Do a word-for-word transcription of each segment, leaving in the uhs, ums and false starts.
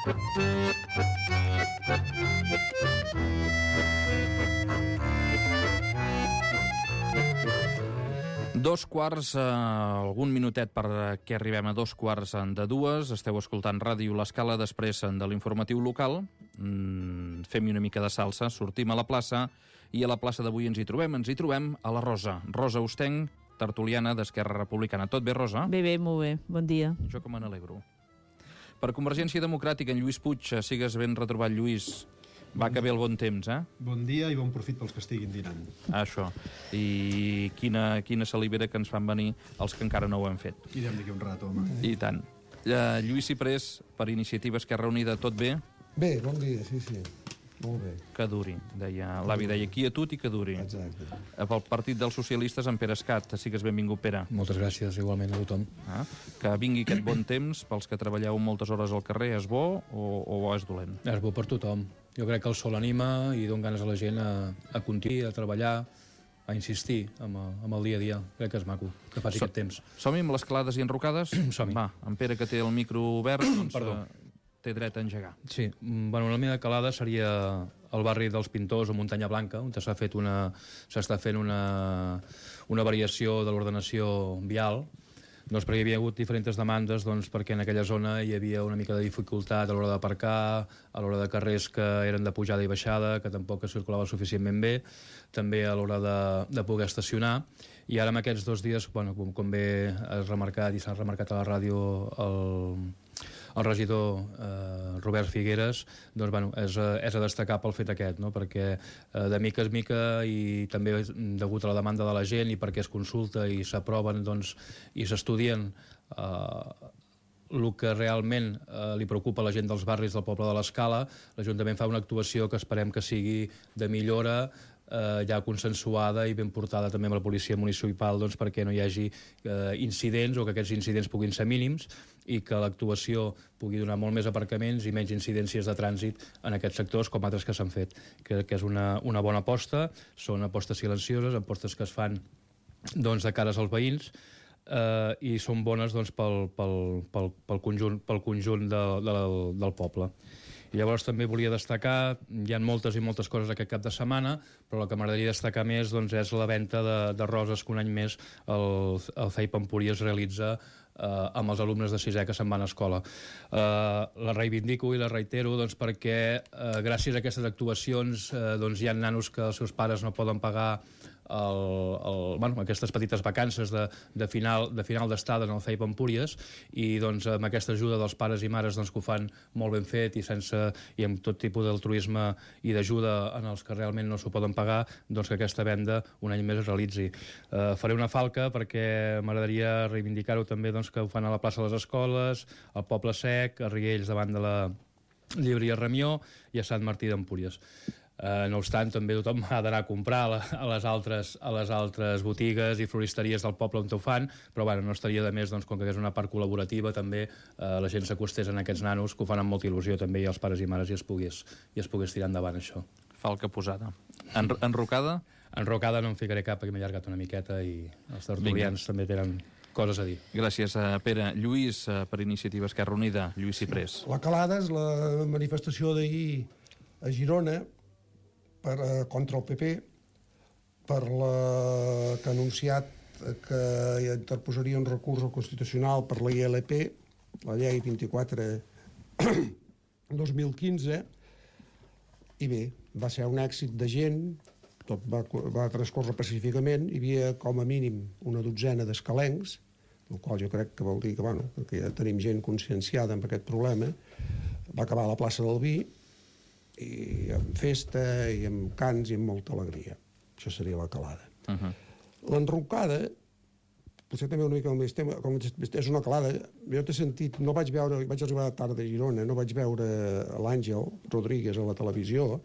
Dos quarts, eh, algun minutet perquè arribem a dos quarts de dues. Esteu escoltant Ràdio L'Escala, després de l'informatiu local. Mm, fem-hi una mica de salsa, sortim a la plaça, i a la plaça d'avui ens hi trobem, ens hi trobem a la Rosa. Rosa Ostenc, tertuliana d'Esquerra Republicana. Tot bé, Rosa? Bé, bé, molt bé. Bon dia. Jo com me n'alegro. Per Convergència Democràtica, en Lluís Puig, sigues ben retrobat, Lluís. Va que ve el bon temps, eh? Bon dia i bon profit pels que estiguin dinant. Ah, això. I quina, quina salivera que ens fan venir els que encara no ho han fet. Irem d'aquí un rato, home. I tant. Uh, Lluís Ciprés, per Iniciativa Esquerra Unida, tot bé? Bé, bon dia, sí, sí. Molt bé. Que duri, deia. L'avi deia quietud i que duri. Exacte. Pel Partit dels Socialistes, en Pere Escat. Sigues benvingut, Pere. Moltes gràcies, igualment a tothom. Ah, que vingui aquest bon temps, pels que treballeu moltes hores al carrer, és bo o, o és dolent? És bo per tothom. Jo crec que el sol anima i dona ganes a la gent a, a continuar, a treballar, a insistir amb, amb el dia a dia. Crec que és maco, que faci so, aquest temps. Som-hi amb les clades i enrocades? Som-hi. Va, en Pere, que té el micro obert, doncs, Perdó. Uh, té dret a engegar. Sí, bueno, la meva calada seria el barri dels Pintors o Muntanya Blanca, on s'ha fet una, s'està fent una, una variació de l'ordenació vial, doncs perquè hi havia hagut diferents demandes, doncs perquè en aquella zona hi havia una mica de dificultat a l'hora d'aparcar, a l'hora de carrers que eren de pujada i baixada, que tampoc es circulava suficientment bé, també a l'hora de, de poder estacionar, i ara en aquests dos dies, bueno, com, com bé has remarcat i s'ha remarcat a la ràdio el, el regidor eh, Robert Figueres, doncs, bueno, és, és a destacar pel fet aquest, no? Perquè eh, de mica en mica i també degut a la demanda de la gent i perquè es consulta i s'aproven, doncs, i s'estudien eh, el que realment eh, li preocupa a la gent dels barris del poble de l'Escala, l'Ajuntament fa una actuació que esperem que sigui de millora, eh, ja consensuada i ben portada també amb la policia municipal, doncs, perquè no hi hagi eh, incidents o que aquests incidents puguin ser mínims i que l'actuació pugui donar molt més aparcaments i menys incidències de trànsit en aquests sectors com altres que s'han fet. Crec que és una, una bona aposta, són apostes silencioses, apostes que es fan doncs, de cares als veïns, Uh, i són bones, doncs, pel, pel, pel, pel conjunt, pel conjunt de, de, del poble. I llavors també volia destacar, hi ha moltes i moltes coses aquest cap de setmana, però la que m'agradaria destacar més, doncs, és la venda de, de roses que un any més el, el C E I Pampúries realitza eh, amb els alumnes de sisè que se'n van a escola. Eh, la reivindico i la reitero, doncs, perquè eh, gràcies a aquestes actuacions eh, doncs, hi ha nanos que els seus pares no poden pagar el, el, bueno, aquestes petites vacances de, de final de final d'estada en el C E I Pampúries, i doncs, amb aquesta ajuda dels pares i mares, doncs, que ho fan molt ben fet i sense i amb tot tipus d'altruisme i d'ajuda en els que realment no s'ho poden pagar, doncs que aquesta venda un any més es realitzi. Eh, faré una falca perquè m'agradaria reivindicar-ho també, doncs, que ho fan a la plaça de les Escoles, al Poble Sec, a Riells davant de la llibreria Ramió i a Sant Martí d'Empúries. Uh, no obstant, també tothom ha d'anar a comprar a, la, a, les altres, a les altres botigues i floristeries del poble on ho fan, però bueno, no estaria de més, doncs, com que és una part col·laborativa, també uh, la gent s'acostés en aquests nanos, que ho fan amb molta il·lusió també, i els pares i mares, i es pogués, i es pogués tirar endavant això. Falca posada. En, enrocada? Enrocada no em ficaré cap, perquè m'he allargat una miqueta i els tertulians també tenen coses a dir. Gràcies, uh, Pere. Lluís, uh, per Iniciativa Esquerra Unida, Lluís Ciprés. La calada és la manifestació d'ahir a Girona per, eh, contra el P P, per la que ha anunciat que interposaria un recurs al Constitucional per la I L P, la llei vint-i-quatre dos mil quinze, i bé, va ser un èxit de gent, tot va, va transcorrer pacíficament, hi havia com a mínim una dotzena d'escalencs, el qual jo crec que vol dir que, bueno, que ja tenim gent conscienciada amb aquest problema. Va acabar a la plaça del Vi, i amb festa i amb cants i amb molta alegria. Això seria la calada. Uh-huh. L'enrocada potser també una mica el més tema, com és una calada. Jo t'he sentit, no vaig veure, vaig arribar tard de Girona, no vaig veure l'Àngel Rodríguez a la televisió,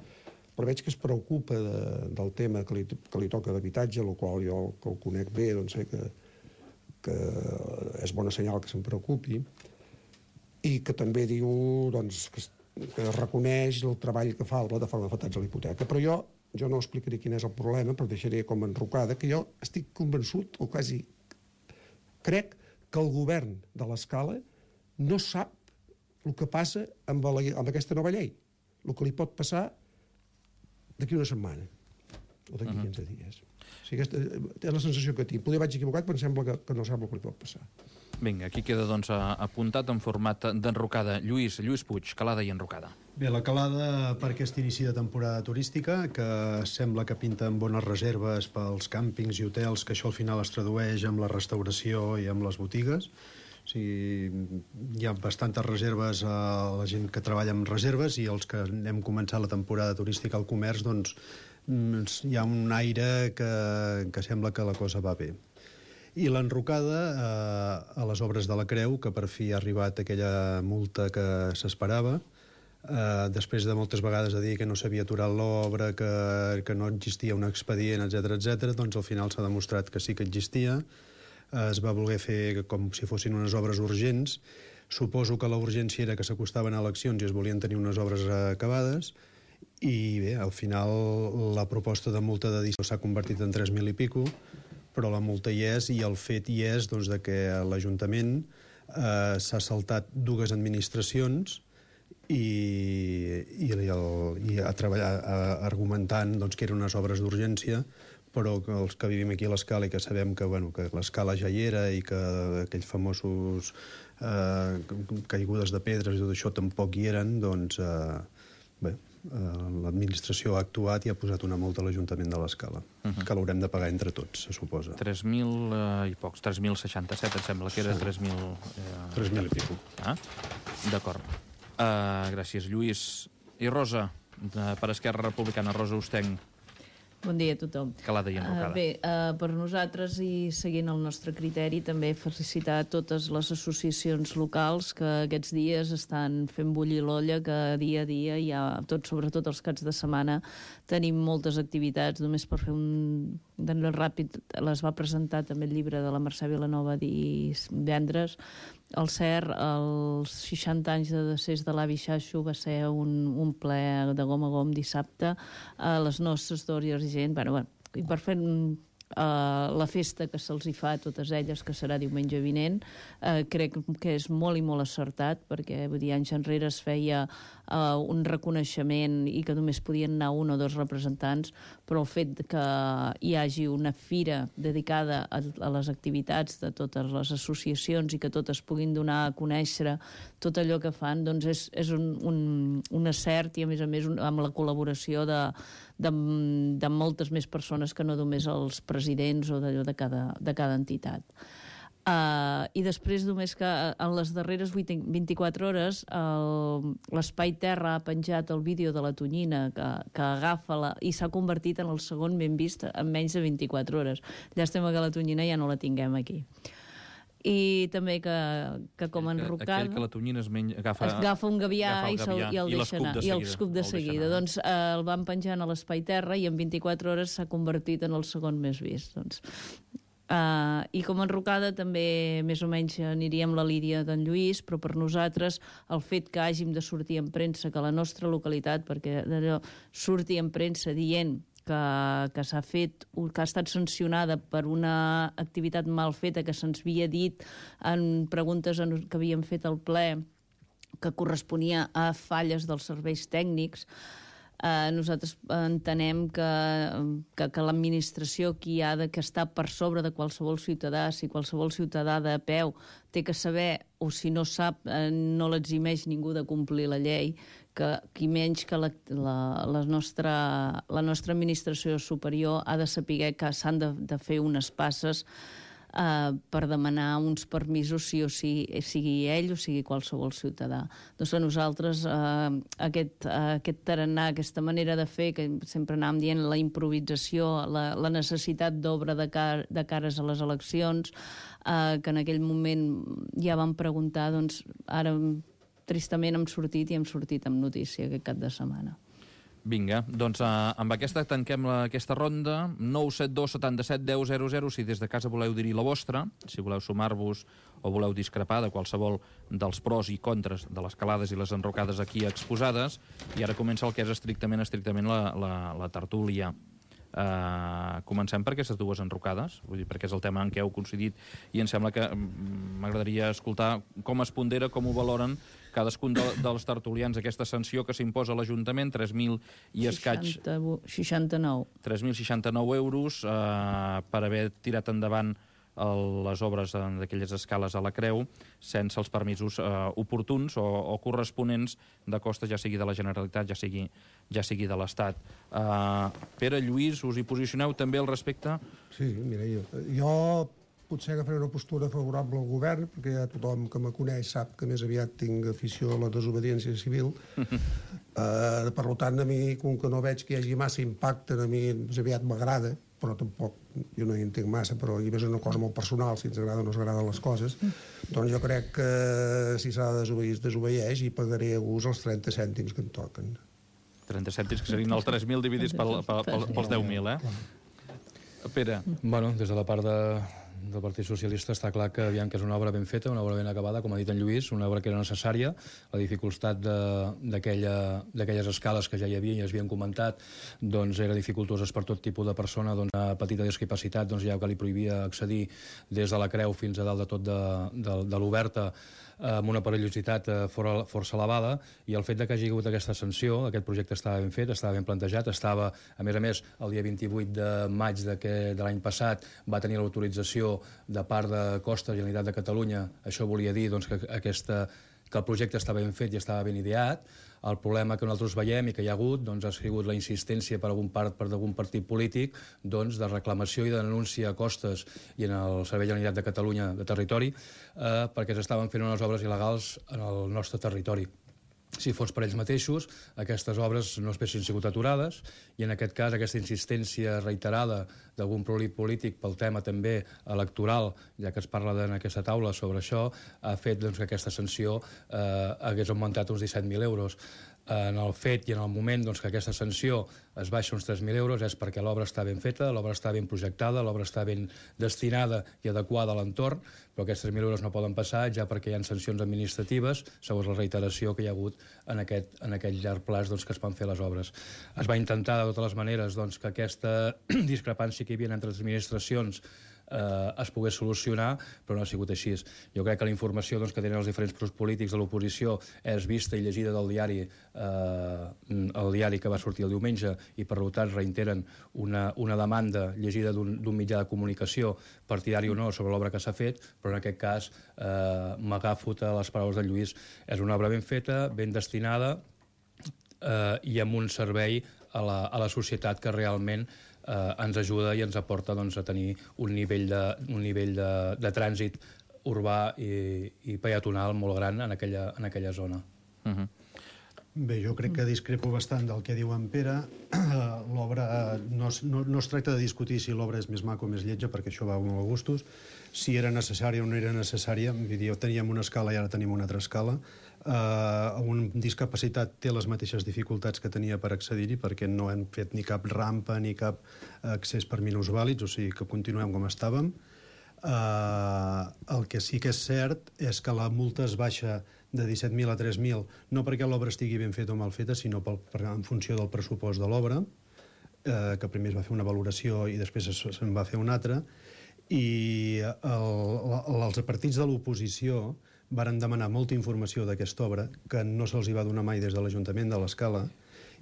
però veig que es preocupa de, del tema que li, que li toca d'habitatge, el qual jo que el conec bé, doncs sé que, que és bona senyal que se'n preocupi, i que també diu, doncs, que que reconeix el treball que fa la plataforma d'afectats a la hipoteca. Però jo, jo no explicaré quin és el problema, però deixaré com enrocada, que jo estic convençut, o quasi crec, que el govern de l'Escala no sap el que passa amb, la, amb aquesta nova llei, el que li pot passar d'aquí una setmana o d'aquí uh -huh. quinze dies. O sigui, aquesta és la sensació que tinc. Poder vaig equivocat, però em sembla que, que no sembla el que li pot passar. Vinga, aquí queda doncs apuntat en format d'enrocada. Lluís, Lluís Puig, calada i enrocada. Bé, la calada per aquest inici de temporada turística, que sembla que pinten bones reserves pels càmpings i hotels, que això al final es tradueix amb la restauració i amb les botigues. O sigui, hi ha bastantes reserves a la gent que treballa amb reserves, i els que hem començat la temporada turística al comerç, doncs hi ha un aire que, que sembla que la cosa va bé. I l'enrocada eh, a les obres de la Creu, que per fi ha arribat aquella multa que s'esperava, eh, després de moltes vegades de dir que no s'havia aturat l'obra, que, que no existia un expedient, etcètera, etcètera, doncs al final s'ha demostrat que sí que existia. Eh, es va voler fer com si fossin unes obres urgents. Suposo que la urgència era que s'acostaven a eleccions i es volien tenir unes obres acabades, i bé, al final la proposta de multa de disco s'ha convertit en tres mil i pico, però la multa hi és, i el fet hi és doncs, de que l'Ajuntament eh, s'ha saltat dues administracions i, i, el, i a treballar a, argumentant doncs, que eren unes obres d'urgència, però que els que vivim aquí a l'Escala i que sabem que, bueno, que l'Escala ja hi era i que aquells famosos eh, caigudes de pedres i tot això tampoc hi eren, doncs eh, bé, Uh, l'administració ha actuat i ha posat una multa a l'Ajuntament de l'Escala, uh -huh. que l'haurem de pagar entre tots, se suposa. tres mil uh, i pocs, tres mil seixanta-set, em sembla que era sí. tres mil... Uh, tres mil i pico. Ah? D'acord. Uh, gràcies, Lluís. I Rosa, uh, per Esquerra Republicana, Rosa Ostenc. Bon dia a tothom. Calada i enrocada. Uh, bé, uh, per nosaltres, i seguint el nostre criteri, també felicitar totes les associacions locals que aquests dies estan fent bullir l'olla, que dia a dia hi ha, tot, sobretot els caps de setmana, tenim moltes activitats. Només per fer un d'anell ràpid, les va presentar també el llibre de la Mercè Vilanova divendres. El C E R, els seixanta anys de decés de l'avi Xaxo, va ser un, un ple de gom a gom dissabte. A les nostres d'Òries i gent, bueno, bueno, i per fer uh, la festa que se'ls hi fa a totes elles, que serà diumenge vinent, uh, crec que és molt i molt acertat, perquè vull dir, anys enrere es feia uh, un reconeixement i que només podien anar un o dos representants, però el fet que hi hagi una fira dedicada a, a les activitats de totes les associacions i que totes puguin donar a conèixer tot allò que fan, doncs és, és un, un, un acert, i a més a més un, amb la col·laboració de, de, de moltes més persones que no només els presidents o d'allò de cada, de cada entitat. Uh, I després només que en les darreres vint-i-quatre hores l'Espai Terra ha penjat el vídeo de la Tonyina que, que agafa la, i s'ha convertit en el segon ben vist en menys de vint-i-quatre hores. Llàstima que la Tonyina ja no la tinguem aquí. I també que, que com a enrocada... Aquell que la Tonyina es menja, agafa, agafa un gavià, agafa el gavià i, i el i deixa anar. de I l'escup de seguida. Doncs eh, el van penjant a l'Espai Terra i en vint-i-quatre hores s'ha convertit en el segon més vist. Doncs... Uh, I com a enrocada també més o menys aniríem la línia d'en Lluís, però per nosaltres el fet que hàgim de sortir en premsa, que la nostra localitat, perquè d'allò surti en premsa dient que, que s'ha fet, que ha estat sancionada per una activitat mal feta que se'ns havia dit en preguntes en, que havíem fet al ple, que corresponia a falles dels serveis tècnics. Uh, nosaltres entenem que, que, que l'administració qui ha de, que està per sobre de qualsevol ciutadà, si qualsevol ciutadà de peu té que saber, o si no sap, uh, no l'eximeix ningú de complir la llei, que qui menys que la, la, la, nostra, la nostra administració superior ha de saber que s'han de, de fer unes passes Uh, per demanar uns permisos sí o sí, sigui ell o sigui qualsevol ciutadà. Doncs a nosaltres uh, aquest, uh, aquest tarannà, aquesta manera de fer, que sempre anàvem dient la improvisació, la, la necessitat d'obra de, car de cares a les eleccions, uh, que en aquell moment ja vam preguntar, doncs ara tristament hem sortit i hem sortit amb notícia aquest cap de setmana. Vinga, doncs uh, amb aquesta tanquem la, aquesta ronda. Nou set dos setanta-set deu zero zero, si des de casa voleu dir-hi la vostra, si voleu sumar-vos o voleu discrepar de qualsevol dels pros i contres de les calades i les enrocades aquí exposades. I ara comença el que és estrictament, estrictament la, la, la tertúlia. Uh, comencem per aquestes dues enrocades, vull dir, perquè és el tema en què heu coincidit, i em sembla que m'agradaria escoltar com es pondera, com ho valoren cadascun de, dels tertulians aquesta sanció que s'imposa a l'Ajuntament, tres mil i escaig... seixanta-nou. tres mil seixanta-nou euros eh, per haver tirat endavant el, les obres d'aquelles escales a la Creu sense els permisos eh, oportuns o, o corresponents de costes, ja sigui de la Generalitat, ja sigui, ja sigui de l'Estat. Eh, Pere, Lluís, us hi posicioneu també al respecte? Sí, mira, jo, jo potser agafaré una postura favorable al govern, perquè ja tothom que me coneix sap que més aviat tinc afició a la desobediència civil. uh, per tant, a mi, com que no veig que hi hagi massa impacte, a mi més aviat m'agrada, però tampoc jo no hi entenc massa, però hi és una cosa molt personal, si ens agrada o no ens agraden les coses. Doncs jo crec que si s'ha de desobeir, es desobeeix i pagaré a gust els trenta cèntims que em toquen. trenta cèntims, que serien els tres mil dividits pel, pel, pel, pels deu mil, eh? Pere. Bueno, des de la part de, del Partit Socialista està clar que, aviam, que és una obra ben feta, una obra ben acabada, com ha dit en Lluís, una obra que era necessària. La dificultat d'aquelles escales que ja hi havia i es havien comentat doncs era dificultoses per tot tipus de persona doncs, a petita discapacitat, doncs ja que li prohibia accedir des de la Creu fins a dalt de tot de, de, de l'Oberta, amb una perillositat força elevada, i el fet de que hagi hagut aquesta sanció, aquest projecte estava ben fet, estava ben plantejat, estava, a més a més, el dia vint-i-vuit de maig de, de l'any passat va tenir l'autorització de part de Costes, Generalitat de Catalunya. Això volia dir doncs, que, aquesta, que el projecte estava ben fet i estava ben ideat. El problema que nosaltres veiem i que hi ha hagut doncs, ha sigut la insistència per algun part per algun partit polític doncs, de reclamació i de denúncia a Costes i en el Servei de Generalitat de Catalunya de Territori eh, perquè s'estaven fent unes obres il·legals en el nostre territori. Si fos per ells mateixos, aquestes obres no haguessin sigut aturades, i en aquest cas aquesta insistència reiterada d'algun partit polític pel tema també electoral, ja que es parla en aquesta taula sobre això, ha fet doncs, que aquesta sanció eh, hagués augmentat uns disset mil euros. En el fet i en el moment doncs, que aquesta sanció es baixa uns tres mil euros és perquè l'obra està ben feta, l'obra està ben projectada, l'obra està ben destinada i adequada a l'entorn, però aquests tres mil euros no poden passar ja perquè hi ha sancions administratives segons la reiteració que hi ha hagut en aquest, en aquest llarg plaç doncs, que es van fer les obres. Es va intentar de totes les maneres doncs, que aquesta discrepància que hi havia entre les administracions Eh, es pogués solucionar, però no ha sigut així. Jo crec que la informació doncs, que tenen els diferents grups polítics de l'oposició és vista i llegida del diari, eh, el diari que va sortir el diumenge, i per tant reiteren una, una demanda llegida d'un mitjà de comunicació partidari o no sobre l'obra que s'ha fet, però en aquest cas eh, m'agafo a les paraules de Lluís. És una obra ben feta, ben destinada eh, i amb un servei a la, a la societat que realment Eh, ens ajuda i ens aporta doncs, a tenir un nivell de, un nivell de, de trànsit urbà i, i peatonal molt gran en aquella, en aquella zona. Uh-huh. Bé, jo crec que discrepo bastant del que diu en Pere. L'obra, no, no, no es tracta de discutir si l'obra és més maca o més lletja, perquè això va molt a gustos. Si era necessària o no era necessària, vull dir, teníem una escala i ara tenim una altra escala. Uh, un discapacitat té les mateixes dificultats que tenia per accedir-hi, perquè no hem fet ni cap rampa ni cap accés per minusvàlids, o sigui que continuem com estàvem. Uh, el que sí que és cert és que la multa es baixa de disset mil a tres mil, no perquè l'obra estigui ben feta o mal feta, sinó pel, per, en funció del pressupost de l'obra, eh, que primer es va fer una valoració i després se'n va fer una altra, i el, els partits de l'oposició varen demanar molta informació d'aquesta obra, que no se'ls hi va donar mai des de l'Ajuntament de l'Escala,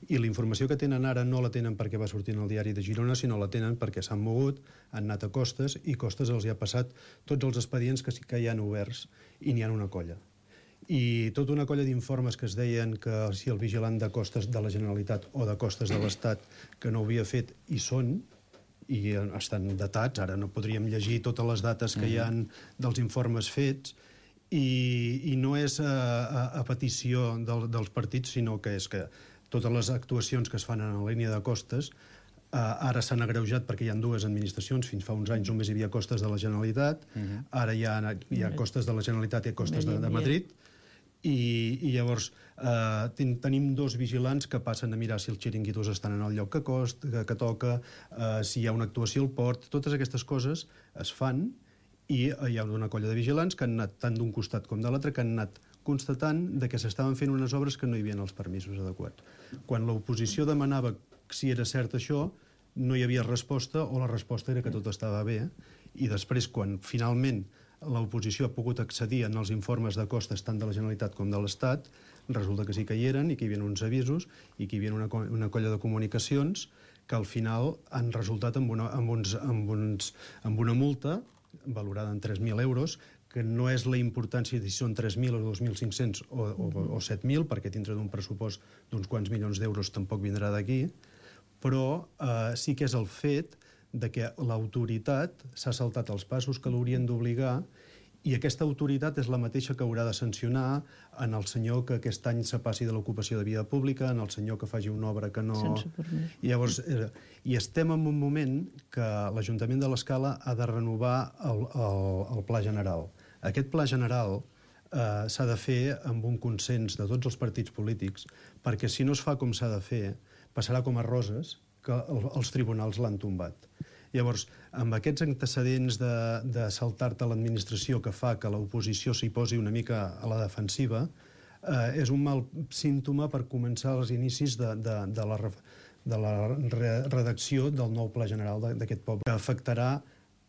i la informació que tenen ara no la tenen perquè va sortir en el diari de Girona, sinó la tenen perquè s'han mogut, han anat a Costes, i Costes els hi ha passat tots els expedients que, que hi han oberts, i n'hi ha una colla. I tota una colla d'informes que es deien que si el vigilant de Costes de la Generalitat o de Costes de l'Estat que no ho havia fet, hi són, i estan datats, ara no podríem llegir totes les dates que hi ha dels informes fets, i, i no és a, a, a petició del, dels partits, sinó que és que totes les actuacions que es fan en la línia de Costes eh, ara s'han agreujat perquè hi ha dues administracions. Fins fa uns anys només hi havia Costes de la Generalitat, uh-huh. Ara hi ha, hi ha Costes de la Generalitat i Costes de, de Madrid, i, i llavors eh, ten, tenim dos vigilants que passen a mirar si els xiringuitos estan en el lloc que, cost, que, que toca, eh, si hi ha una actuació al port. Totes aquestes coses es fan, i hi ha una colla de vigilants que han anat tant d'un costat com de l'altre, que han anat constatant de que s'estaven fent unes obres que no hi havia els permisos adequats. Quan l'oposició demanava si era cert això, no hi havia resposta, o la resposta era que tot estava bé, i després, quan finalment l'oposició ha pogut accedir en els informes de costes tant de la Generalitat com de l'Estat, resulta que sí que hi eren i que hi havia uns avisos i que hi havia una, una colla de comunicacions que al final han resultat amb una, amb uns, amb uns, amb una multa valorada en tres mil euros, que no és la importància de si són tres mil o dos mil cinc-cents o, o, o set mil, perquè dintre d'un pressupost d'uns quants milions d'euros tampoc vindrà d'aquí, però eh, sí que és el fet de que l'autoritat s'ha saltat els passos que l'haurien d'obligar, i aquesta autoritat és la mateixa que haurà de sancionar en el senyor que aquest any se passi de l'ocupació de via pública, en el senyor que faci una obra que no... Sense permís. I llavors, eh, i estem en un moment que l'Ajuntament de l'Escala ha de renovar el, el, el pla general. Aquest pla general eh, s'ha de fer amb un consens de tots els partits polítics, perquè si no es fa com s'ha de fer, passarà com a Roses, que el, els tribunals l'han tombat. Llavors, amb aquests antecedents de, de saltar-te l'administració que fa que l'oposició s'hi posi una mica a la defensiva, eh, és un mal símptoma per començar els inicis de, de, de, la, de la redacció del nou pla general d'aquest poble, que afectarà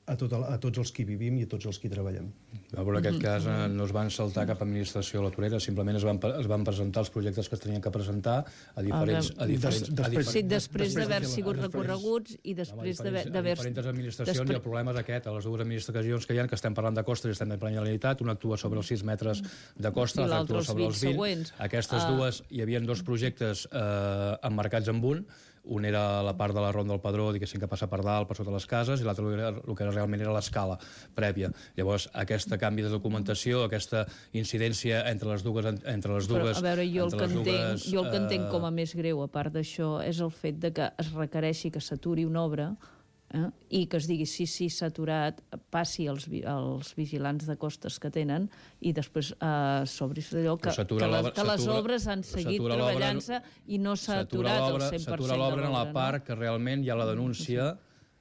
a, tot el, a tots els que hi vivim i a tots els que hi treballem. En aquest cas no es van saltar cap administració a la torera, simplement es van, es van presentar els projectes que es tenien que presentar a diferents... A diferents, des, a diferents sí, després d'haver sigut recorreguts i després d'haver... A diferents administracions després... i el problema és aquest, a les dues administracions que hi ha, que estem parlant de costes i estem parlant de la Generalitat, una actua sobre els sis metres de costa, sí, l'altra actua sobre els vint. Següents. Aquestes uh... dues, hi havia dos projectes eh, emmarcats en un, un era la part de la Ronda del Padró, diguéssim, que passa per dalt, per sota les cases, i l'altre el que era, realment era l'escala prèvia. Llavors, aquest canvi de documentació, aquesta incidència entre les dues... Entre les dues Però, a veure, jo el, que entenc, dues, jo el que entenc com a més greu, a part d'això, és el fet de que es requereixi que s'aturi una obra, eh? I que es digui sí, sí, s'ha aturat, passi als, als vigilants de costes que tenen i després eh, s'obris d'allò que, que, les, que les obres han seguit treballant-se i no s'ha aturat el cent per cent de l'obra. S'atura l'obra en la part que realment hi ha la denúncia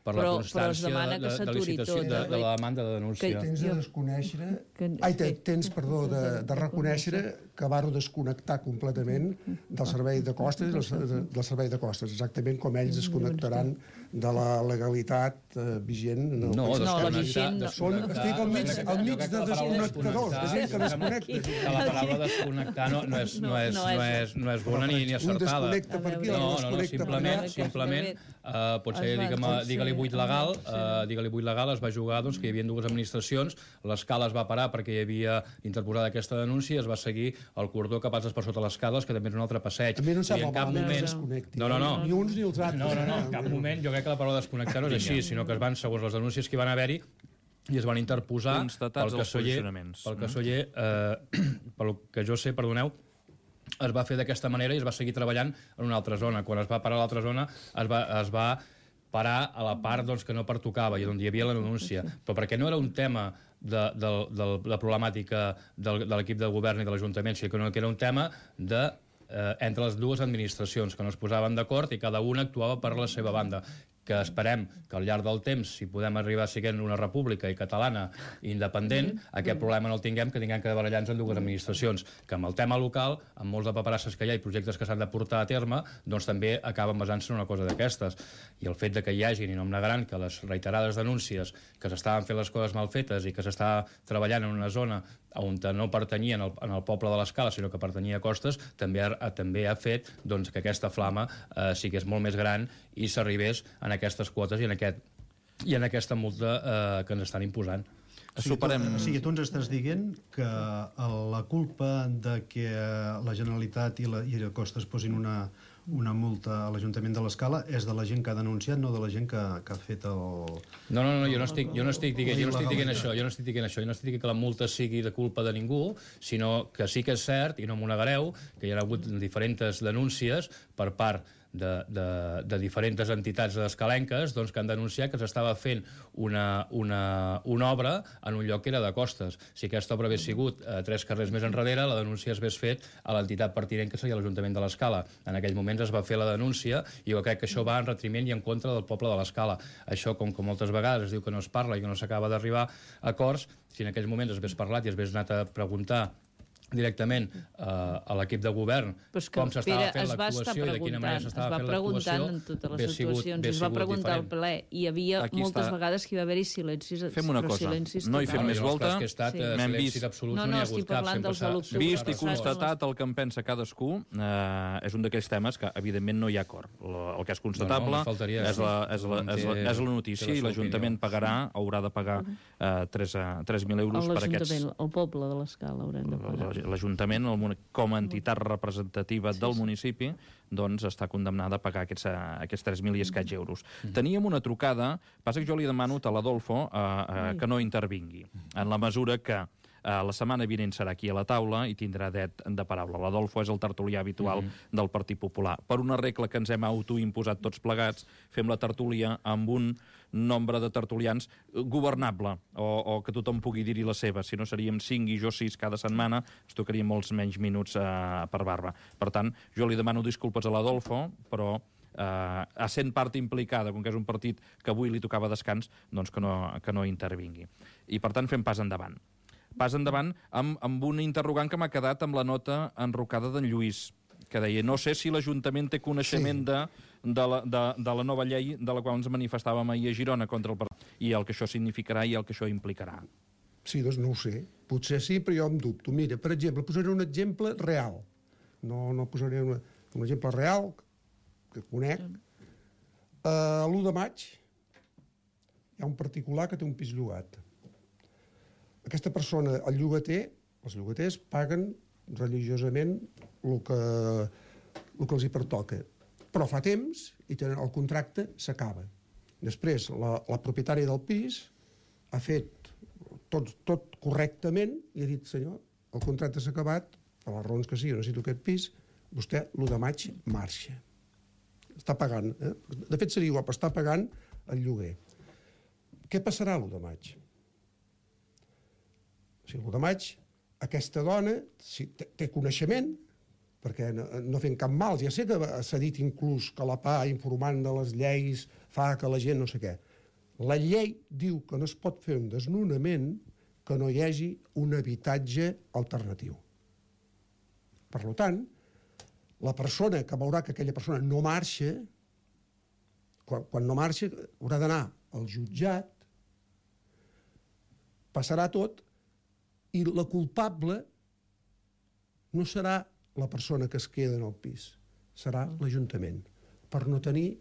per la però, constància però de, de, de, licitació, de, de la demanda de denúncia. Que tens de desconèixer... Que, ai, tens, perdó, de, de reconèixer que vau desconnectar completament del servei de costes i del, del servei de costes, exactament com ells desconnectaran de la legalitat eh, vigent. No, no, la vigent... No. Són, estic al mig, al mig de desconnectadors, de gent que desconnecta. La paraula desconnectar no, no, és, no, és, no, és, no és bona ni, ni acertada. Un desconnecta per aquí, no, un desconnecta no, no, per allà. Simplement, uh, potser digue-li buit legal, uh, digue-li buit legal, es va jugar doncs, que hi havia dues administracions, l'escala es va parar perquè hi havia interposada aquesta denúncia i es va seguir el cordó que passes per sota les escales, que també és un altre passeig. A mi no em sembla mal que es desconnecti. No, no, no. Ni uns ni els altres. No, no, no, en cap moment. Jo crec que la paraula desconnectar no és així, sinó que es van, segons les denúncies que hi van haver-hi, i es van interposar pel que soller, pel que soller, eh, pel que jo sé, perdoneu, es va fer d'aquesta manera i es va seguir treballant en una altra zona. Quan es va parar a l'altra zona, es va, es va parar a la part doncs, que no pertocava i on hi havia la denúncia. Però perquè no era un tema de, de, de, de la problemàtica del, de l'equip de govern i de l'Ajuntament, sinó que era un tema de, eh, entre les dues administracions, que no es posaven d'acord i cada una actuava per la seva banda, que esperem que al llarg del temps, si podem arribar a ser una república i catalana i independent, mm -hmm. aquest problema no el tinguem, que tinguem que barallar-nos en dues administracions, que amb el tema local, amb molts de paperasses que hi ha i projectes que s'han de portar a terme, doncs també acaben basant-se en una cosa d'aquestes. I el fet de que hi hagi, i no em negaran, que les reiterades denúncies que s'estaven fent les coses mal fetes i que s'està treballant en una zona on no pertanyien al, en el poble de l'Escala, sinó que pertanyia a Costes, també ha, també ha fet doncs, que aquesta flama eh, sigués molt més gran i s'arribés en aquestes quotes i en, aquest, i en aquesta multa eh, que ens estan imposant. O sigui, tu, o sigui, tu ens estàs dient que la culpa de que la Generalitat i la, i la Costes posin una, una multa a l'Ajuntament de l'Escala és de la gent que ha denunciat, no de la gent que, que ha fet el... No, no, no, jo no estic, jo no estic dient, jo no estic dient això, jo no estic dient això, jo no estic dient que la multa sigui de culpa de ningú, sinó que sí que és cert, i no m'ho negareu, que hi ha hagut diferents denúncies per part De, de, de diferents entitats escalenques doncs, que han denunciat que s'estava fent una, una, una obra en un lloc que era de Costes. Si aquesta obra hagués sigut eh, tres carrers més enrere, la denúncia es hagués fet a l'entitat pertinent, que seria l'Ajuntament de l'Escala. En aquells moments es va fer la denúncia i jo crec que això va en retriment i en contra del poble de l'Escala. Això, com que moltes vegades es diu que no es parla i que no s'acaba d'arribar a acords, si en aquells moments es hagués parlat i es hagués anat a preguntar directament uh, a l'equip de govern com s'estava fent l'actuació i de quina manera s'estava fent l'actuació. Es va preguntant en totes les situacions, es va preguntar al ple, i hi havia Aquí moltes està. vegades que hi va haver-hi silencis. Fem una cosa, no hi fem més volta. Que estat, sí. silencis absoluts, no, no, no n'hi ha estic hagut cap. parlant dels de l'octubre. Vist i constatat el que en pensa cadascú, eh, és un d'aquells temes que, evidentment, no hi ha acord. El que és constatable no, no, és, la, és, la, és, la, és la notícia i l'Ajuntament pagarà, haurà de pagar eh, tres mil euros per aquests... L'Ajuntament, el poble de l'Escala haurem de pagar. L'Ajuntament, com a entitat representativa del municipi, doncs està condemnada a pagar aquests, aquests tres mil i escaig euros. Teníem una trucada, passa que jo li demano a l'Adolfo eh, eh, que no intervingui, en la mesura que Uh, la setmana vinent serà aquí a la taula i tindrà dret de paraula. L'Adolfo és el tertulià habitual mm-hmm. del Partit Popular. Per una regla que ens hem autoimposat tots plegats, fem la tertúlia amb un nombre de tertulians governable, o, o que tothom pugui dir-hi la seva. Si no, seríem cinc i jo sis cada setmana, es tocarien molts menys minuts uh, per barba. Per tant, jo li demano disculpes a l'Adolfo, però Uh, essent part implicada, com que és un partit que avui li tocava descans, doncs que no, que no intervingui. I, per tant, fem pas endavant. Pas endavant amb, amb un interrogant que m'ha quedat amb la nota enrocada d'en Lluís, que deia, no sé si l'Ajuntament té coneixement sí. de, de, la, de, de la nova llei de la qual ens manifestàvem ahir a Girona contra el partit, i el que això significarà i el que això implicarà. Sí, doncs no ho sé. Potser sí, però jo em dubto. Mira, per exemple, posaré un exemple real. No, no posaré una, un exemple real que conec. Uh, l'u de maig hi ha un particular que té un pis llogat. Aquesta persona, el llogater, els llogaters paguen religiosament el que, el que els hi pertoca. Però fa temps i tenen, el contracte s'acaba. Després, la, la propietària del pis ha fet tot, tot correctament i ha dit, senyor, el contracte s'ha acabat, per les raons que sigui, necessito aquest pis, vostè l'u de maig marxa. Està pagant. Eh? De fet, seria guap, està pagant el lloguer. Què passarà l'u de maig? O sigui, l'u de maig, aquesta dona si té, té coneixement, perquè no, no fent cap mal, ja sé que s'ha dit inclús que la P A, informant de les lleis, fa que la gent no sé què. La llei diu que no es pot fer un desnonament que no hi hagi un habitatge alternatiu. Per tant, la persona que veurà que aquella persona no marxa, quan, quan no marxa, haurà d'anar al jutjat, passarà tot, i la culpable no serà la persona que es queda en el pis, serà l'Ajuntament, per no tenir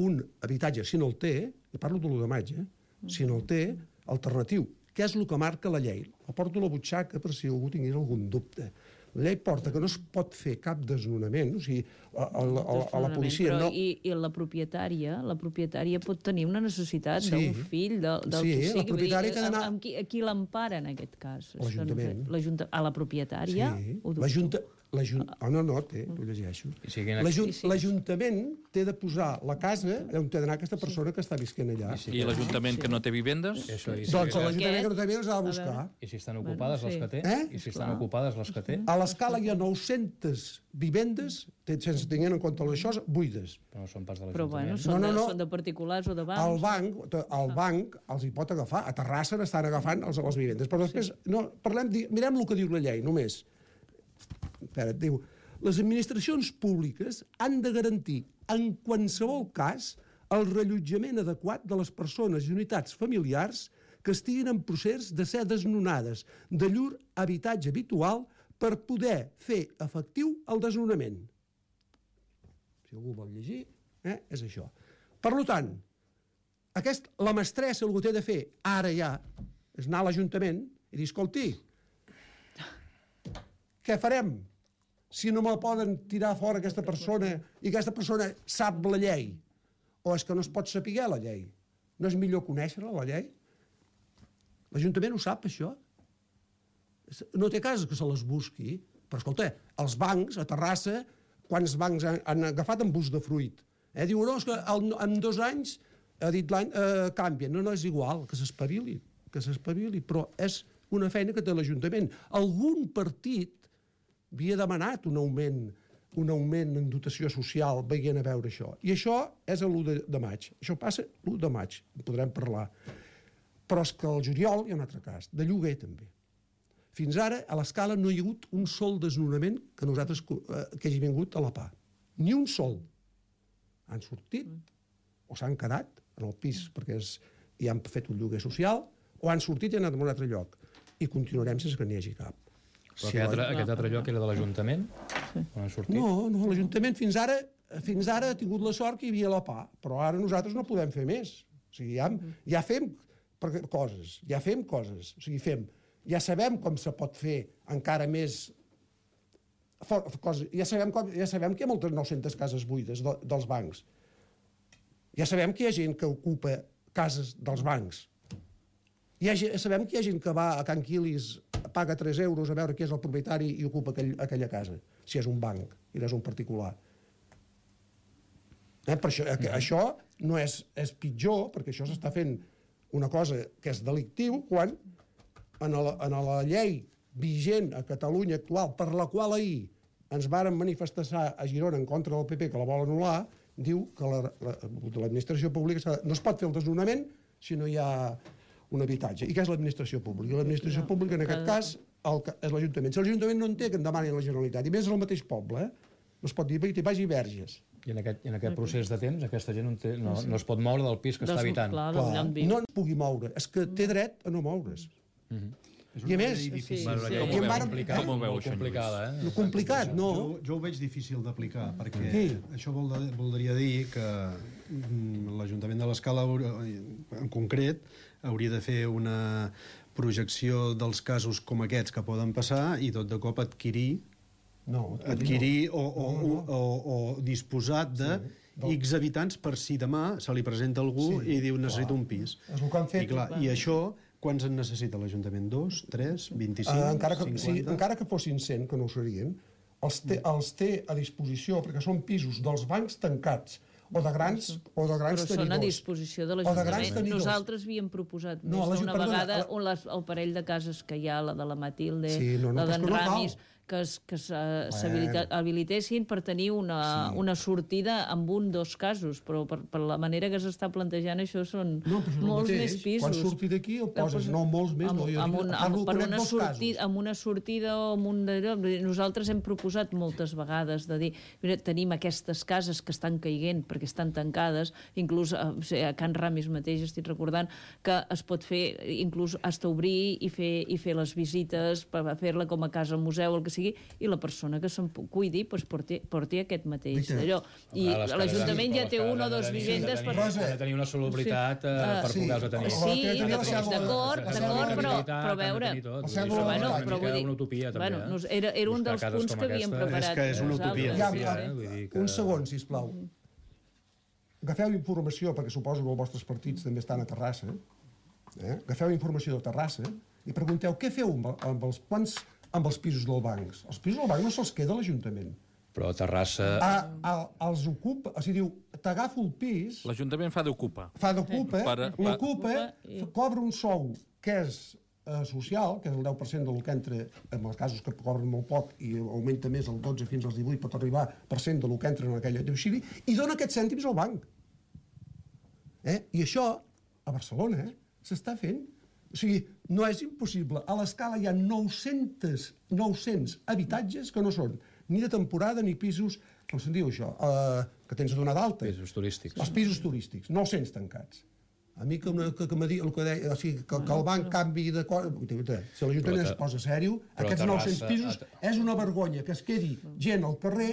un habitatge, si no el té, i parlo de l'u de maig, eh? Si no el té, alternatiu, que és el que marca la llei. El porto a la butxaca per si algú tingués algun dubte. La llei porta que no es pot fer cap desnonament, o sigui, a, a, a, a la policia... Però no... i, i la propietària, la propietària pot tenir una necessitat sí. d'un fill, de, del sí, que sigui. La propietària que ha d'anar... Amb qui, a qui l'empara en aquest cas? L'Ajuntament. No, a la propietària? Sí, l'Ajuntament... Oh, no, no, té, ho llegeixo. L'Ajuntament té de posar la casa on té d'anar aquesta persona que està visquent allà. I, I l'Ajuntament que no té vivendes? Això, i doncs l'Ajuntament que no té vivendes ha de buscar. I si estan ocupades les que té? Eh? I si estan ocupades les que té? A l'Escala hi ha nou-centes vivendes, sense tenir en compte les choses, buides. Però no són pas de Però l'Ajuntament. bueno, són, no, no, no. De, són de particulars o de bancs. El banc, el banc els hi pot agafar. A Terrassa n'estan agafant els, les vivendes. Però després, sí. no, parlem, mirem el que diu la llei, només. Espera, diu... Les administracions públiques han de garantir, en qualsevol cas, el rellotjament adequat de les persones i unitats familiars que estiguin en procés de ser desnonades de llur habitatge habitual per poder fer efectiu el desnonament. Si algú vol llegir, eh, és això. Per tant, aquest, la mestressa el que té de fer ara ja és anar a l'Ajuntament i dir, escolti, què farem? Si no me poden tirar fora aquesta persona i aquesta persona sap la llei, o és que no es pot saber la llei? No és millor conèixer-la, la llei? L'Ajuntament ho sap, això? No té cas que se les busqui, però, escolta, els bancs, a Terrassa, quants bancs han, han agafat en bus de fruit? Eh? Diuen, no, és que el, en dos anys, ha dit l'any, eh, canvien. No, no, és igual, que s'espavili, que s'espavili, però és una feina que té l'Ajuntament. Algun partit havia demanat un augment, un augment en dotació social veient a veure això. I això és l'u de maig. Això passa l'u de maig, en podrem parlar. Però és que al juliol hi ha un altre cas, de lloguer també. Fins ara, a l'Escala, no hi ha hagut un sol desnonament que nosaltres eh, que hagi vingut a la P A. Ni un sol. Han sortit o s'han quedat en el pis perquè és, hi han fet un lloguer social, o han sortit i han anat a un altre lloc. I continuarem sense que n'hi hagi cap. Però aquest, altre, aquest altre lloc era de l'Ajuntament? Sí. On han sortit? No, no, l'Ajuntament fins ara, fins ara ha tingut la sort que hi havia la P A, però ara nosaltres no podem fer més. O sigui, ja, ja fem coses, ja fem coses. O sigui, fem, ja sabem com se pot fer encara més coses. Ja sabem, com, ja sabem que hi ha moltes nou-centes cases buides de, dels bancs. Ja sabem que hi ha gent que ocupa cases dels bancs. Ja sabem que hi ha gent que va a Can Quilis, paga tres euros a veure qui és el propietari i ocupa aquell, aquella casa, si és un banc i no és un particular. Eh, per això, eh, això no és, és pitjor, perquè això s'està fent una cosa que és delictiu, quan en la, en la llei vigent a Catalunya actual, per la qual ahir ens varen manifestar a Girona en contra del P P, que la vol anul·lar, diu que l'administració pública no es pot fer el desnonament si no hi ha un habitatge. I què és l'administració pública? L'administració pública, en aquest cas, el, és l'Ajuntament. Si l'Ajuntament no en té, que en demanin a la Generalitat. I més és el mateix poble, eh? No es pot dir que vagi Verges. I en aquest, en aquest procés de temps, aquesta gent no, té, no, no es pot moure del pis que Des, està habitant. Clar, clar, no es pugui moure. És que té dret a no moure's. Mm-hmm. I a més, sí, sí, bueno, sí. com Sí. ho varen- complicat, com ho veu, molt això, complicada, eh? no complicat, no. Jo, jo ho veig difícil d'aplicar, perquè Sí. això vol, voldria dir que mm, l'Ajuntament de l'Escala, en concret, hauria de fer una projecció dels casos com aquests que poden passar i tot de cop adquirir No, adquirir o, o, No, no. o, o, o disposat de Sí. X habitants per si demà se li presenta algú Sí, i diu necessito clar. un pis. És el que han fet. I, clar, i això, quants en necessita l'Ajuntament? Dos, tres, vint-i-cinc, Uh, encara, que, cinquanta? sí, encara que fossin cent, que no ho serien, els té, els té a disposició, perquè són pisos dels bancs tancats, o de grans, o de grans Però són tenidors. a disposició de O de grans l'Ajuntament. tenidors. Nosaltres havíem proposat No, més l'Aju- d'una perdona, vegada la- un, les, el parell de cases que hi ha, la de la Matilde, Sí, no, no, la però és d'en que no cal. Ramis, que es, que s'habilitessin per tenir una, Sí. una sortida amb un dos casos, però per, per la manera que s'està plantejant això són No, però és el molts mateix. més pisos. Quan surti d'aquí el poses, no, molts més, amb, no, jo amb, dic- un, parlo, amb, per conec una dos sortida, casos. amb una sortida o amb un d'allò. Nosaltres hem proposat moltes vegades de dir, mira, tenim aquestes cases que estan caiguent perquè estan tancades, inclús a, a Can Ramis mateix estic recordant que es pot fer, inclús hasta obrir i fer, i fer les visites per fer-la com a casa museu, el que sigui, i la persona que se'n cuidi doncs, porti, porti aquest mateix Veritat. allò. I A les cases l'Ajuntament han- ja té les una o cases dos han de tenir- vivendes han per... de tenir- han de tenir una solubilitat Sí. eh, Ah, per sí. poder-les tenir. Sí, La teva d'acord, cèdula- d'acord, la d'acord, cèdula però, d'habitabilitat, però a han de veure... tenir tot. La Vull dir, cèdula això és Bueno, una però mica vull dir, una utopia, també. bueno, eh? nos- era, era un Buscar dels cases punts com que havíem aquesta preparat. és que és una utopia. nosaltres. Ja, Sí, ja, eh? Vull dir que- un segon, sisplau. Agafeu informació, perquè suposo que els vostres partits també estan a Terrassa. Eh? Agafeu informació de Terrassa i pregunteu què feu amb, amb, els, quants, amb els pisos del banc. Els pisos del banc no se'ls queda l'Ajuntament. Però a Terrassa... A, a, els ocupa, o sigui, diu, t'agafo el pis, L'Ajuntament fa d'ocupa. fa d'ocupa, Per- per- l'ocupa, i- cobra un sou que és eh, social, que és el deu per cent del que entra, en els casos que cobren molt poc i augmenta més el dotze fins als divuit, pot arribar per cent del que entra en aquella domicili, i dona aquests cèntims al banc. Eh? I això, a Barcelona, eh, s'està fent. O sigui, no és impossible. A l'Escala hi ha nou-cents, nou-cents habitatges que no són ni de temporada ni pisos, com se'n diu això, uh, que tens de donar d'alta. Pisos turístics. Els pisos turístics, nou-cents tancats. A mi que, que, que, que, el que deia, o sigui, que, que el banc canvi de... Si l'Ajuntament es posa sèrio, aquests nou-cents pisos és una vergonya que es quedi gent al carrer,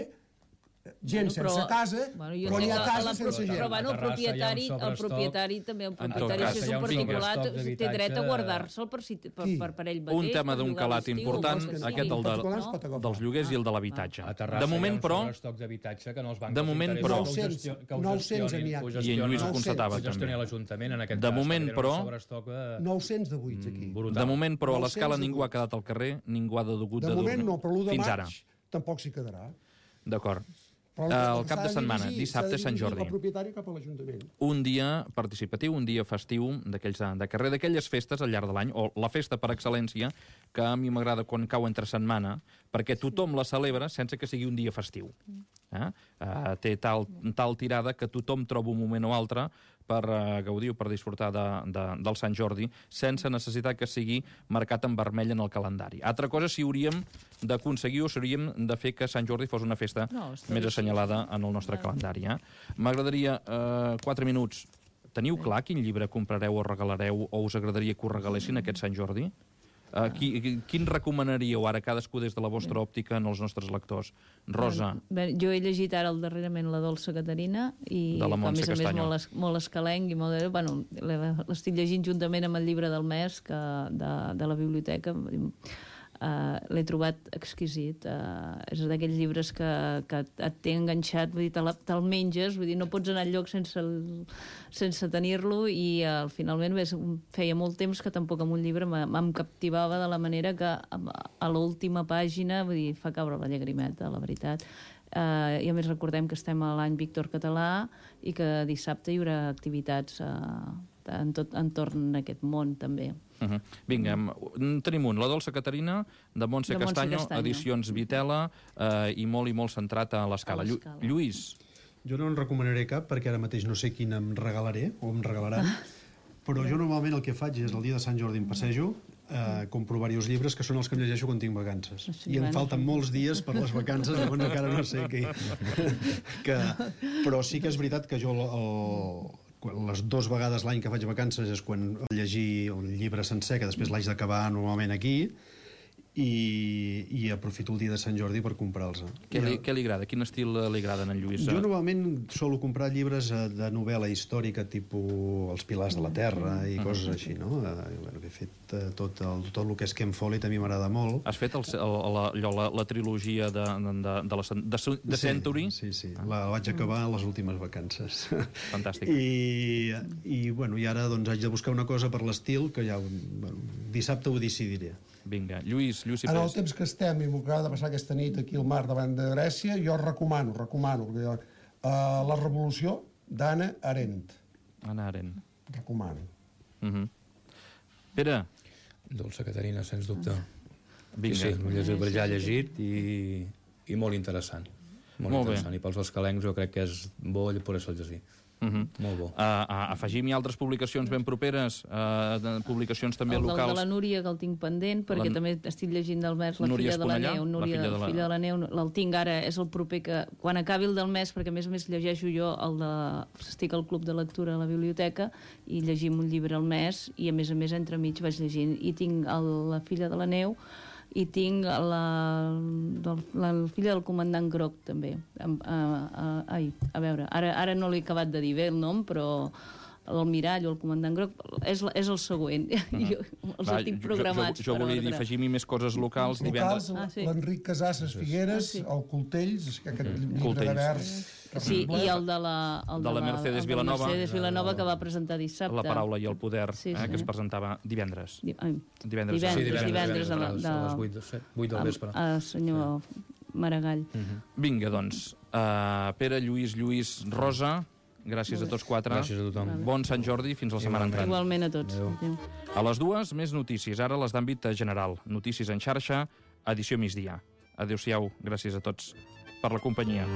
gent Bueno, però- sense casa, bueno, jo però hi ha entenc que cases la- sense gent. Però bueno, el A Terrassa hi ha un propietari, el sobrestoc. propietari també, el En tot propietari, cas, si és hi ha un un particular, sobrestoc té dret a d'habitatge- guardar-se'l per, si, per, Qui? per, per ell mateix. Un tema per d'un llogar calat l'estiu, important, o el que sigui. aquest el de, particulars pot agafar. dels lloguers i el de l'habitatge. A Terrassa De moment, hi ha un però, sobrestoc d'habitatge que no els bancs De els moment, interessa però- que ho gestio- que ho nou-cents gestionin- n'hi ha que ho aquí. I en Lluís ho gestioni- constatava, que ho gestioni també. l'Ajuntament, en aquest De cas. moment, perquè tenen però- un sobrestoc, eh, nou-cents de buits aquí. brutal. de moment, però, a l'escala nou-cents ningú ha quedat al carrer, ningú ha degut de De dur. moment no, però l'u de Fins maig ara. tampoc s'hi quedarà. D'acord. Però El que cap s'ha de setmana, dirigir- dissabte, s'ha de Sant dirigir Jordi. El propietari cap a l'Ajuntament. Un dia participatiu, un dia festiu d'aquells de, de carrer, d'aquelles festes al llarg de l'any, o la festa per excel·lència, que a mi m'agrada quan cau entre setmana, perquè tothom la celebra sense que sigui un dia festiu. Eh? Uh, té tal, tal tirada que tothom troba un moment o altre per uh, gaudir o per disfrutar de, de, del Sant Jordi sense necessitat que sigui marcat en vermell en el calendari. Altra cosa, si hauríem d'aconseguir o si hauríem de fer que Sant Jordi fos una festa no, més assenyalada en el nostre calendari. Eh? M'agradaria, uh, quatre minuts, teniu clar quin llibre comprareu o regalareu o us agradaria que us regalessin aquest Sant Jordi? Uh, qui, quin recomanaríeu ara cadascú des de la vostra òptica en els nostres lectors? Rosa. Bé, jo he llegit ara el darrerament La dolça Caterina i de la Montse a més a més Castanyo. molt, es, molt escalenc i molt, bueno, l'estic llegint juntament amb el llibre del mes que, de, de la biblioteca. Uh, l'he trobat exquisit. Uh, és d'aquells llibres que, que et té enganxat, vull dir, te'l te menges, vull dir, no pots anar enlloc sense, el, sense tenir-lo i uh, finalment bé, feia molt temps que tampoc amb un llibre em captivava de la manera que a l'última pàgina, vull dir, fa caure la llagrimeta, la veritat. Uh, I a més recordem que estem a l'any Víctor Català i que dissabte hi haurà activitats uh, en tot, entorn d'aquest món també. Uh -huh. Vinga, mm. tenim un, La dolça Caterina, de Montse, de Montse Castanyo, Castanyo, edicions Vitela, eh, i molt i molt centrat a l'escala. Llu Lluís. Jo no en recomanaré cap, perquè ara mateix no sé quin em regalaré, o em regalaran, però jo normalment el que faig és el dia de Sant Jordi em passejo, eh, compro diversos llibres que són els que em llegeixo quan tinc vacances. Sí, I em bueno. falten molts dies per les vacances, llavors encara no sé què... que... Però sí que és veritat que jo el... les dues vegades l'any que faig vacances és quan llegir un llibre sencer, que després l'haig d'acabar normalment aquí, i, i aprofito el dia de Sant Jordi per comprar-los. Què li, què li agrada? Quin estil li agrada a en Lluís? Jo normalment solo comprar llibres de novel·la històrica, tipus Els pilars de la terra i coses així, no? I, bueno, he fet tot el, tot el que és Ken Follett, a mi m'agrada molt. Has fet el, el, la, la, la trilogia de, de, de, la, de, de Century? Sí, sí, sí. La vaig acabar a les últimes vacances. Fantàstic. I, i, bueno, i ara doncs, haig de buscar una cosa per l'estil que ja bueno, dissabte ho decidiré. Vinga, Lluís, Lluís i En el temps que estem i m'ho acaba de passar aquesta nit aquí al mar davant de Grècia, jo recomano, recomano, uh, La revolució d'Anna Arendt. Anna Arendt. Recomano. Uh -huh. Pere. Dolça Caterina, sens dubte. Vinga. Sí, sí, l'he llegit, per allà llegit i, i molt interessant. Molt, molt interessant. Bé. I pels escalencs jo crec que és bo per això llegir. Uh -huh. Molt bo. Uh, uh, afegim-hi altres publicacions ben properes, uh, de publicacions també el locals. El de la Núria, que el tinc pendent, perquè la... també estic llegint del mes La Núria filla de la Esponellà, neu. Núria, la filla de la... filla de la neu. El tinc ara, és el proper que... Quan acabi el del mes, perquè a més a més llegeixo jo el de... Estic al club de lectura a la biblioteca i llegim un llibre al mes i a més a més entremig vaig llegint. I tinc el, La filla de la neu i tinc la, la, la filla del comandant Groc també. A, a, a, ai, a veure, ara, ara no l'he acabat de dir bé el nom, però l'Almirall o el comandant Groc és, és el següent. Uh -huh. Jo els Va, tinc programats. Jo, jo, jo volia dir, afegim-hi més coses locals. Locals, ah, sí. l'Enric Casasses Figueres, ah, sí. el Coltells, aquest uh -huh. llibre Coltells. de vers... Sí, i el de la, el de la Mercedes el Vilanova. Mercedes Vilanova, que va presentar dissabte. La paraula i el poder, sí, sí. Eh, que es presentava divendres. Di ai, divendres, divendres, sí, divendres, divendres, divendres a, les, a les vuit del vespre. A, a senyor sí. Maragall. Uh -huh. Vinga, doncs. Uh, Pere, Lluís, Lluís, Rosa, gràcies a tots quatre. Gràcies a tothom. Bon Sant Jordi, fins la setmana entrant. Igualment a tots. Adéu. Adéu. A les dues, més notícies. Ara les d'àmbit general. Notícies en xarxa, edició migdia. Adéu-siau, gràcies a tots per la companyia.